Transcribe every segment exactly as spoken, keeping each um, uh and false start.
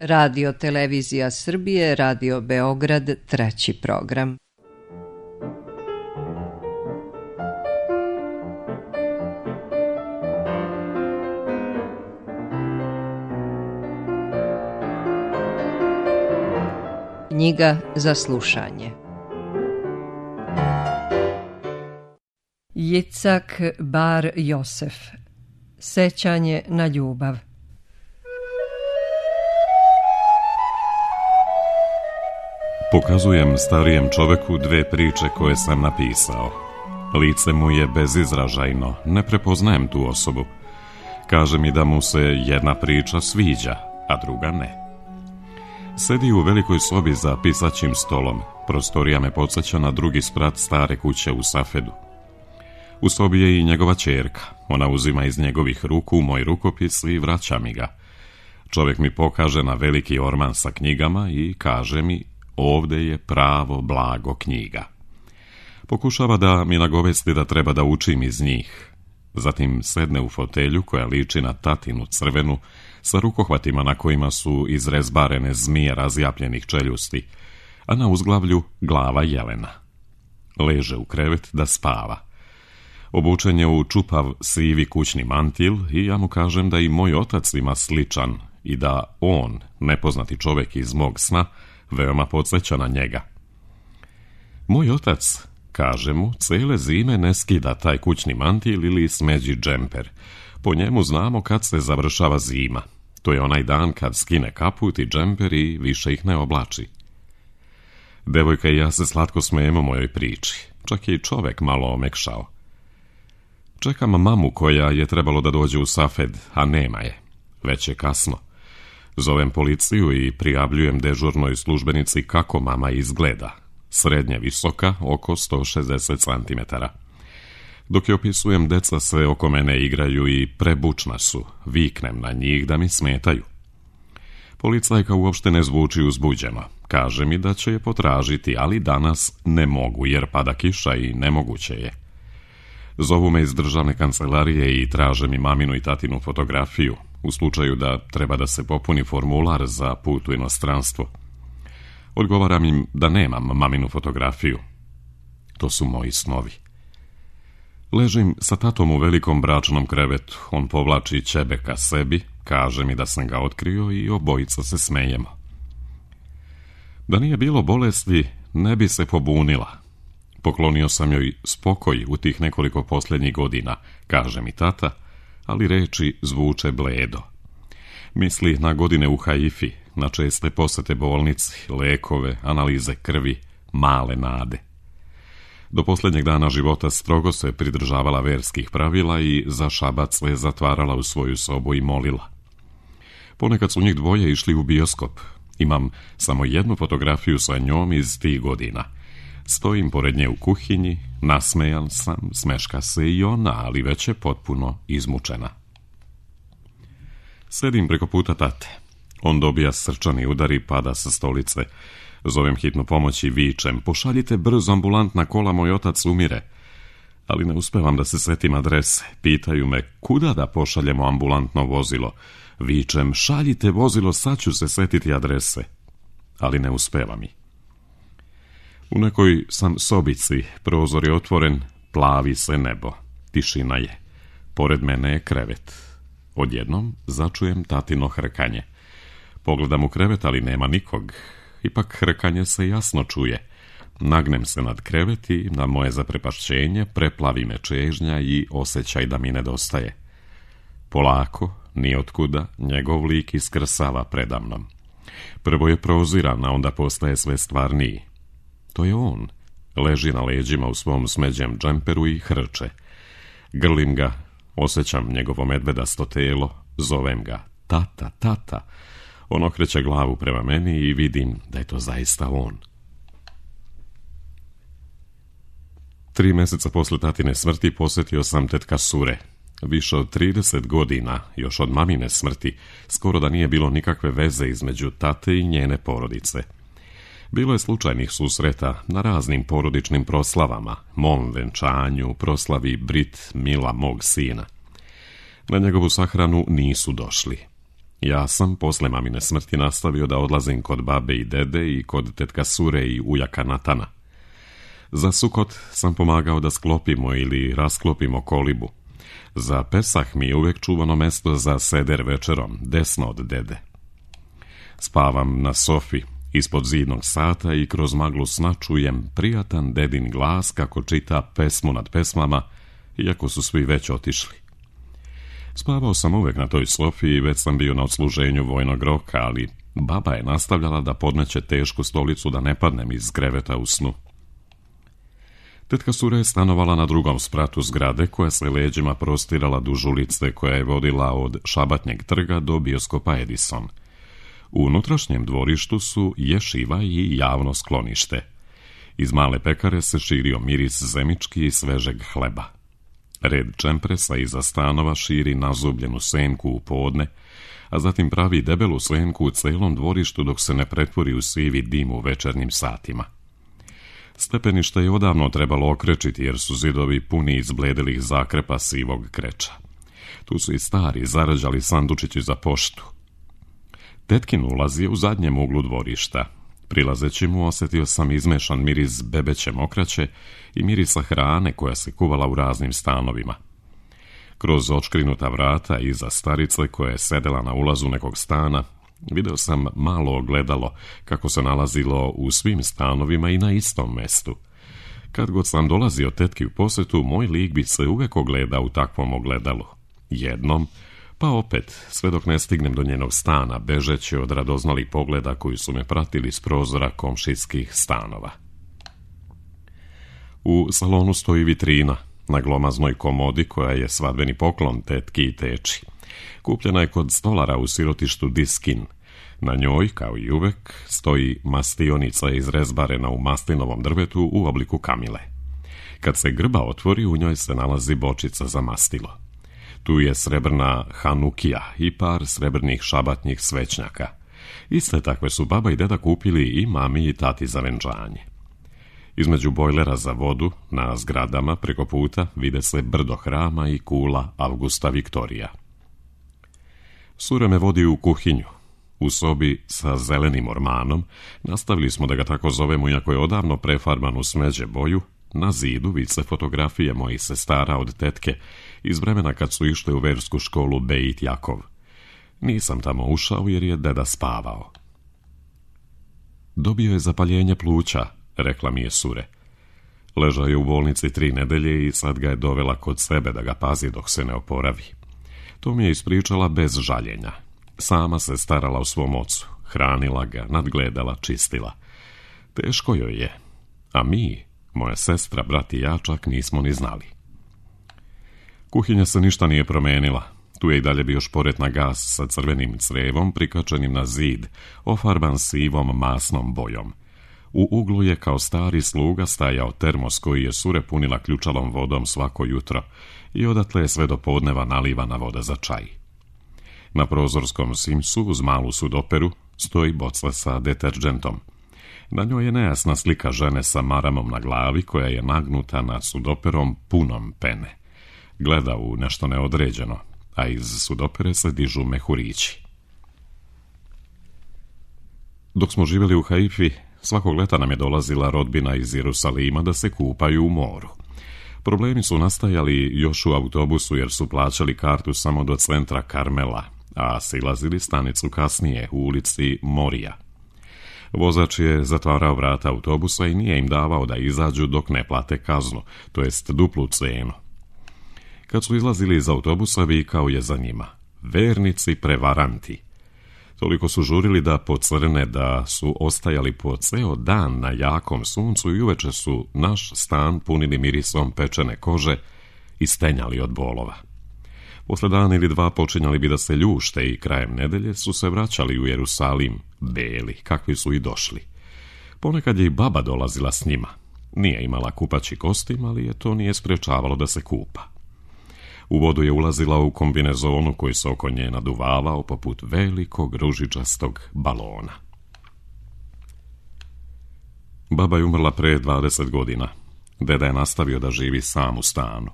Radio Televizija Srbije, Radio Beograd, treći program. Knjiga za slušanje. Jicak Bar Josef. Sećanje na ljubav. Pokazujem starijem čoveku dve priče koje sam napisao. Lice mu je bezizražajno, ne prepoznajem tu osobu. Kaže mi da mu se jedna priča sviđa, a druga ne. Sedi u velikoj sobi za pisaćim stolom. Prostorija me podsjeća na drugi sprat stare kuće u Safedu. U sobi je i njegova ćerka. Ona uzima iz njegovih ruku moj rukopis i vraća mi ga. Čovjek mi pokaže na veliki orman sa knjigama i kaže mi: ovdje je pravo blago knjiga. Pokušava da mi nagovesti da treba da učim iz njih. Zatim sedne u fotelju koja liči na tatinu crvenu, sa rukohvatima na kojima su izrezbarene zmije razjapljenih čeljusti, a na uzglavlju glava jelena. Leže u krevet da spava. Obučen je u čupav sivi kućni mantil i ja mu kažem da i moj otac ima sličan i da on, nepoznati čovjek iz mog sna, veoma podsjeća na njega. Moj otac, kaže mu, cele zime ne skida taj kućni mantil ili smeđi džemper. Po njemu znamo kad se završava zima. To je onaj dan kad skine kaput i džemper i više ih ne oblači. Devojka i ja se slatko smijemo mojoj priči. Čak je i čovek malo omekšao. Čekam mamu koja je trebalo da dođe u Safed, a nema je. Već je kasno. Zovem policiju i prijavljujem dežurnoj službenici kako mama izgleda. Srednje visoka, oko sto šezdeset centimetara. Dok je opisujem, deca se oko mene igraju i prebučna su. Viknem na njih da mi smetaju. Policajka uopšte ne zvuči uzbuđeno. Kaže mi da će je potražiti, ali danas ne mogu jer pada kiša i nemoguće je. Zovu me iz državne kancelarije i traže mi maminu i tatinu fotografiju, u slučaju da treba da se popuni formular za put u inostranstvo. Odgovaram im da nemam maminu fotografiju. To su moji snovi. Ležim sa tatom u velikom bračnom krevetu. On povlači ćebe ka sebi, kaže mi da sam ga otkrio i obojica se smejemo. Da nije bilo bolesti, ne bi se pobunila. Poklonio sam joj spokoj u tih nekoliko posljednjih godina, kaže mi tata, ali reči zvuče bledo. Misli na godine u Haifi, na česte posete bolnici, lekove, analize krvi, male nade. Do posljednjeg dana života strogo se pridržavala verskih pravila i za šabac se zatvarala u svoju sobu i molila. Ponekad su njih dvoje išli u bioskop. Imam samo jednu fotografiju sa njom iz tih godina. Stojim pored nje u kuhinji, nasmejan sam, smeška se i ona, ali već je potpuno izmučena. Sedim preko puta tate. On dobija srčani udar i pada sa stolice. Zovem hitnu pomoć i vičem: pošaljite brzo ambulantna kola, moj otac umire. Ali ne uspevam da se setim adrese. Pitaju me kuda da pošaljemo ambulantno vozilo. Vičem: šaljite vozilo, sad ću se setiti adrese. Ali ne uspeva mi. U nekoj sam sobici, prozor je otvoren, plavi se nebo. Tišina je. Pored mene je krevet. Odjednom začujem tatino hrkanje. Pogledam u krevet, ali nema nikog. Ipak hrkanje se jasno čuje. Nagnem se nad krevet i na moje zaprepašćenje preplavi me čežnja i osjećaj da mi nedostaje. Polako, nijotkuda, njegov lik iskrsava predamnom. Prvo je proziran, a onda postaje sve stvarniji. To je on. Leži na leđima u svom smeđem džemperu i hrče. Grlim ga, osjećam njegovo medvedasto telo, zovem ga: tata, tata. On okreće glavu prema meni i vidim da je to zaista on. Tri mjeseca posle tatine smrti posjetio sam tetka Sure. Više od trideset godina, još od mamine smrti, skoro da nije bilo nikakve veze između tate i njene porodice. Bilo je slučajnih susreta na raznim porodičnim proslavama, mom venčanju, proslavi Brit Mila mog sina. Na njegovu sahranu nisu došli. Ja sam posle mamine smrti nastavio da odlazim kod babe i dede i kod tetka Sure i ujaka Natana. Za Sukot sam pomagao da sklopimo ili rasklopimo kolibu. Za Pesah mi je uvijek čuvano mesto za seder večerom, desno od dede. Spavam na sofi, ispod zidnog sata i kroz maglu sna čujem prijatan dedin glas kako čita pesmu nad pesmama, iako su svi već otišli. Spavao sam uvijek na toj sofi i već sam bio na odsluženju vojnog roka, ali baba je nastavljala da podmeće tešku stolicu da ne padnem iz kreveta u snu. Tetka Sure je stanovala na drugom spratu zgrade koja se leđima prostirala duž ulice koja je vodila od Šabatnjeg trga do bioskopa Edison. U unutrašnjem dvorištu su ješiva i javno sklonište. Iz male pekare se širio miris zemički i svežeg hleba. Red čempresa iza stanova širi nazubljenu senku u podne, a zatim pravi debelu senku u celom dvorištu dok se ne pretvori u sivi dim u večernjim satima. Stepenište je odavno trebalo okrečiti jer su zidovi puni izbledelih zakrepa sivog kreča. Tu su i stari zarađali sandučići za poštu. Tetkin ulaz je u zadnjem uglu dvorišta. Prilazeći mu osjetio sam izmešan miris bebeće mokraće i mirisa hrane koja se kuvala u raznim stanovima. Kroz očkrinuta vrata iza starice koja je sedela na ulazu nekog stana, video sam malo ogledalo kako se nalazilo u svim stanovima i na istom mestu. Kad god sam dolazio tetki u posjetu, moj lik bi se uvijek ogledao u takvom ogledalu. Jednom, pa opet, sve dok ne stignem do njenog stana, bežeći od radoznalih pogleda koji su me pratili s prozora komšijskih stanova. U salonu stoji vitrina na glomaznoj komodi koja je svadbeni poklon tetki i teči. Kupljena je kod stolara u sirotištu Diskin. Na njoj, kao i uvek, stoji mastionica izrezbarena u maslinovom drvetu u obliku kamile. Kad se grba otvori, u njoj se nalazi bočica za mastilo. Tu je srebrna hanukija i par srebrnih šabatnjih svećnjaka. Iste takve su baba i deda kupili i mami i tati za venčanje. Između bojlera za vodu, na zgradama preko puta, vide se brdo hrama i kula Avgusta Viktorija. Sure me vodi u kuhinju. U sobi sa zelenim ormanom, nastavili smo da ga tako zovemo iako je odavno prefarban u smeđe boju, na zidu vise fotografije mojih sestara od tetke iz vremena kad su išle u versku školu Beit Jakov. Nisam tamo ušao jer je deda spavao. Dobio je zapaljenje pluća, rekla mi je Sure. Ležao je u bolnici tri nedelje i sad ga je dovela kod sebe da ga pazi dok se ne oporavi. To mi je ispričala bez žaljenja. Sama se starala o svom ocu, hranila ga, nadgledala, čistila. Teško joj je, a mi, moja sestra, brat i ja, čak nismo ni znali. Kuhinja se ništa nije promenila. Tu je i dalje bio šporet na gas sa crvenim crevom prikačenim na zid, ofarban sivom masnom bojom. U uglu je kao stari sluga stajao termos koji je Sure punila ključalom vodom svako jutro i odatle je sve do podneva nalivana voda za čaj. Na prozorskom simsu uz malu sudoperu stoji boca sa deterđentom. Na njoj je nejasna slika žene sa maramom na glavi koja je nagnuta nad sudoperom punom pene. Gleda u nešto neodređeno, a iz sudopere se dižu mehurići. Dok smo živjeli u Haifi, svakog leta nam je dolazila rodbina iz Jerusalima da se kupaju u moru. Problemi su nastajali još u autobusu jer su plaćali kartu samo do centra Karmela, a silazili stanicu kasnije u ulici Morija. Vozač je zatvarao vrata autobusa i nije im davao da izađu dok ne plate kaznu, to jest duplu cenu. Kad su izlazili iz autobusa, vikao je za njima: vernici prevaranti. Toliko su žurili da pocrne da su ostajali po ceo dan na jakom suncu i uveče su naš stan punili mirisom pečene kože i stenjali od bolova. Posle dan ili dva počinjali bi da se ljušte i krajem nedelje su se vraćali u Jerusalim, beli, kakvi su i došli. Ponekad je i baba dolazila s njima. Nije imala kupaći kostim, ali je to nije sprečavalo da se kupa. U vodu je ulazila u kombinezonu koji se oko nje naduvavao poput velikog ružičastog balona. Baba je umrla pre dvadeset godina. Deda je nastavio da živi sam u stanu.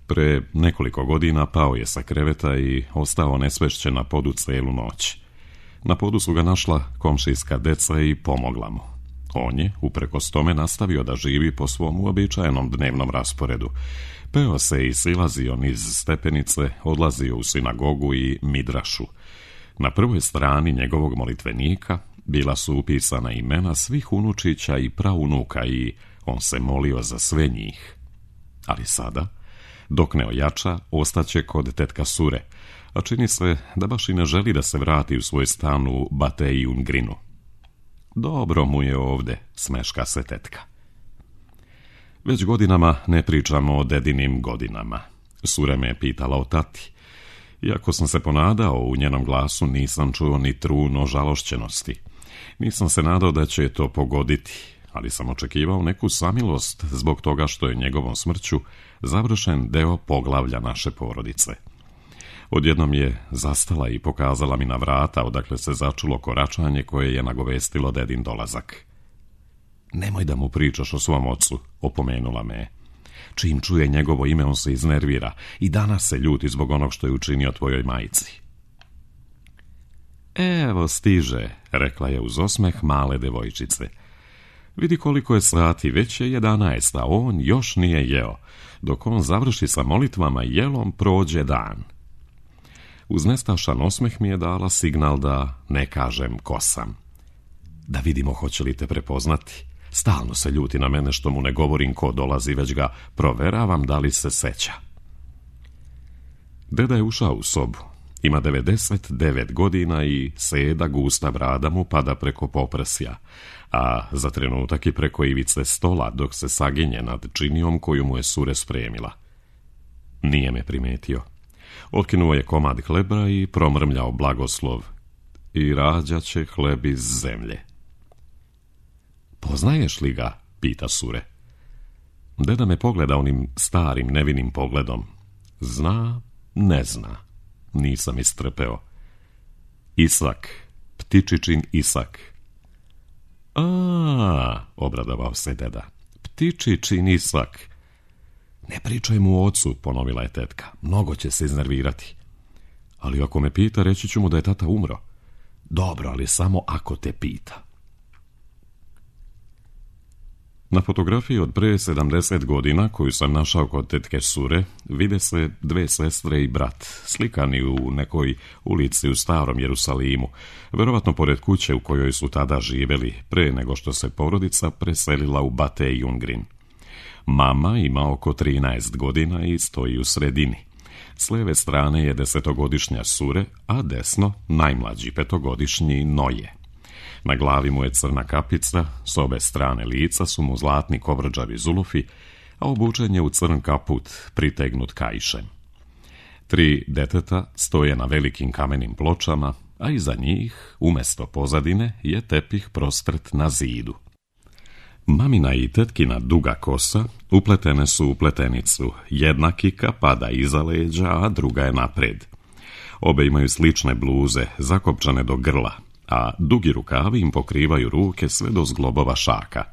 Pre nekoliko godina pao je sa kreveta i ostao nesvešćen na podu celu noć. Na podu su ga našla komšijska deca i pomogla mu. On je, uprkos tome, nastavio da živi po svom uobičajenom dnevnom rasporedu. Peo se i silazio niz stepenice, odlazio u sinagogu i midrašu. Na prvoj strani njegovog molitvenika bila su upisana imena svih unučića i praunuka i on se molio za sve njih. Ali sada, dok ne ojača, ostaće kod tetka Sure, a čini se da baš i ne želi da se vrati u svoj stan u Batei Ungrinu. Dobro mu je ovde, smeška se tetka. Već godinama ne pričamo o dedinim godinama. Sure me je pitala o tati. Iako sam se ponadao u njenom glasu, nisam čuo ni trun ožalošćenosti. Nisam se nadao da će to pogoditi, ali sam očekivao neku samilost zbog toga što je njegovom smrću završen deo poglavlja naše porodice. Odjednom je zastala i pokazala mi na vrata odakle se začulo koračanje koje je nagovestilo dedin dolazak. Nemoj da mu pričaš o svom ocu, opomenula me. Čim čuje njegovo ime, on se iznervira i danas se ljuti zbog onog što je učinio tvojoj majci. Evo stiže, rekla je uz osmeh male devojčice. Vidi koliko je sati, već je jedanaest, a on još nije jeo. Dok on završi sa molitvama i jelom, prođe dan. Uz nestašan osmeh mi je dala signal da ne kažem ko sam. Da vidimo hoće li te prepoznati. Stalno se ljuti na mene što mu ne govorim ko dolazi, već ga proveravam da li se seća. Deda je ušao u sobu. Ima devedeset devet godina i seda gusta brada mu pada preko poprsja, a za trenutak i preko ivice stola dok se saginje nad činijom koju mu je Sure spremila. Nije me primetio. Otkinuo je komad hleba i promrmljao blagoslov. I rađaće hleb iz zemlje. Poznaješ li ga? Pita Sure. Deda me pogleda onim starim nevinim pogledom. Zna, ne zna. Nisam istrpeo. Isak, ptičičin Isak. A, obradovao se deda. Ptičičin Isak. Ne pričaj mu o ocu, ponovila je tetka. Mnogo će se iznervirati. Ali ako me pita, reći ću mu da je tata umro. Dobro, ali samo ako te pita. Na fotografiji od pre sedamdeset godina, koju sam našao kod tetke Sure, vide se dve sestre i brat, slikani u nekoj ulici u starom Jerusalimu, verovatno pored kuće u kojoj su tada živeli, pre nego što se porodica preselila u Batei Ungrin. Mama ima oko trinaest godina i stoji u sredini. S leve strane je desetogodišnja Sure, a desno najmlađi petogodišnji Noje. Na glavi mu je crna kapica, s obe strane lica su mu zlatni kovrđavi zulufi, a obučen je u crn kaput pritegnut kaišem. Tri deteta stoje na velikim kamenim pločama, a iza njih, umesto pozadine, je tepih prostrt na zidu. Mamina i tetkina duga kosa upletene su u pletenicu, jedna kika pada iza leđa, a druga je napred. Obe imaju slične bluze, zakopčane do grla, a dugi rukavi im pokrivaju ruke sve do zglobova šaka.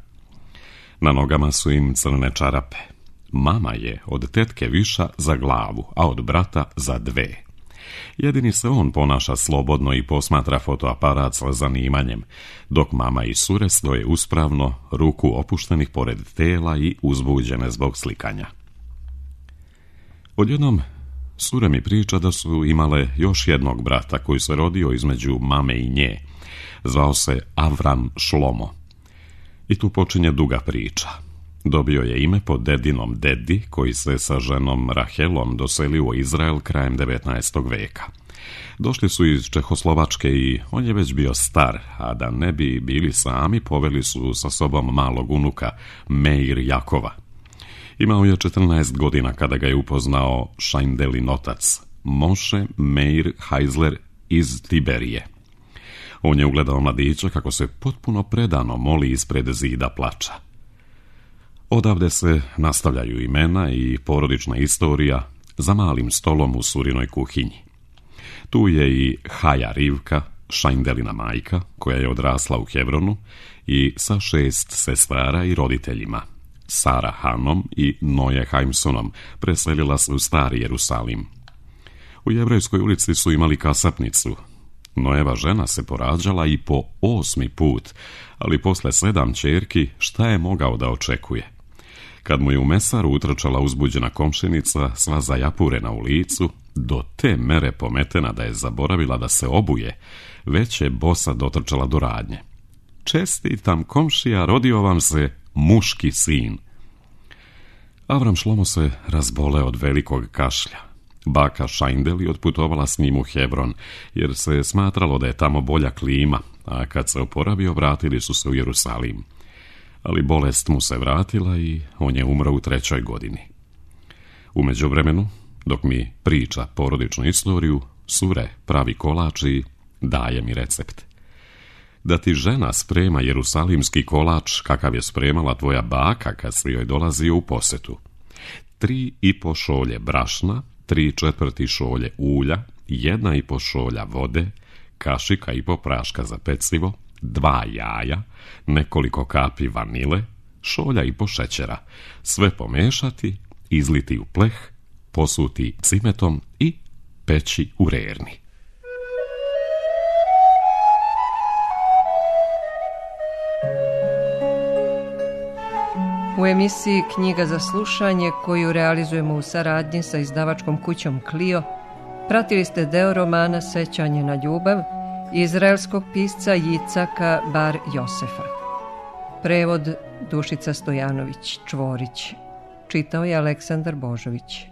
Na nogama su im crne čarape. Mama je od tetke viša za glavu, a od brata za dve. Jedini se on ponaša slobodno i posmatra fotoaparat sa zanimanjem, dok mama i Sure stoje uspravno, ruku opuštenih pored tela i uzbuđene zbog slikanja. Odjednom Sure mi priča da su imale još jednog brata koji se rodio između mame i nje. Zvao se Avram Šlomo. I tu počinje duga priča. Dobio je ime po dedinom dedi koji se sa ženom Rahelom doselio u Izrael krajem devetnaestog veka. Došli su iz Čehoslovačke i on je već bio star, a da ne bi bili sami poveli su sa sobom malog unuka Meir Jakova. Imao je četrnaest godina kada ga je upoznao Šajndelin otac, Moše Meir Heizler iz Tiberije. On je ugledao mladića kako se potpuno predano moli ispred zida plača. Odavde se nastavljaju imena i porodična istorija za malim stolom u Surinoj kuhinji. Tu je i Haja Rivka, Šajndelina majka, koja je odrasla u Hebronu i sa šest sestara i roditeljima, Sara Hanom i Noje Haimsonom preselila se u Stari Jerusalim. U Jevrejskoj ulici su imali kasapnicu. Nojeva žena se porađala i po osmi put, ali posle sedam ćerki šta je mogao da očekuje? Kad mu je u mesaru utrčala uzbuđena komšinica, sva zajapurena u licu, do te mere pometena da je zaboravila da se obuje, već je bosa dotrčala do radnje. Čestitam, komšija, rodio vam se muški sin. Avram Šlomo se razbole od velikog kašlja. Baka Šajndeli otputovala s njim u Hebron, jer se je smatralo da je tamo bolja klima, a kad se oporavio, vratili su se u Jerusalim. Ali bolest mu se vratila i on je umro u trećoj godini. U međuvremenu, dok mi priča porodičnu istoriju, Sure pravi kolač i daje mi recept. Da ti žena sprema jerusalimski kolač kakav je spremala tvoja baka kad si joj dolazio u posetu. Tri i po šolje brašna, tri četvrti šolje ulja, jedna i po šolja vode, kašika i po praška za pecivo, dva jaja, nekoliko kapi vanile, šolja i po šećera, sve pomešati, izliti u pleh, posuti cimetom i peći u rerni. U emisiji Knjiga za slušanje, koju realizujemo u saradnji sa izdavačkom kućom Clio, pratili ste deo romana Sećanje na ljubav izraelskog pisca Jicaka Bar Josefa. Prevod Dušica Stojanović Čvorić. Čitao je Aleksandar Božović.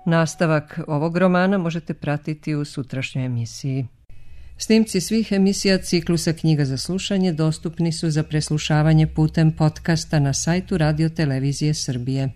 Nastavak ovog romana možete pratiti u sutrašnjoj emisiji. Snimci svih emisija ciklusa Knjiga za slušanje dostupni su za preslušavanje putem podcasta na sajtu Radio Televizije Srbije.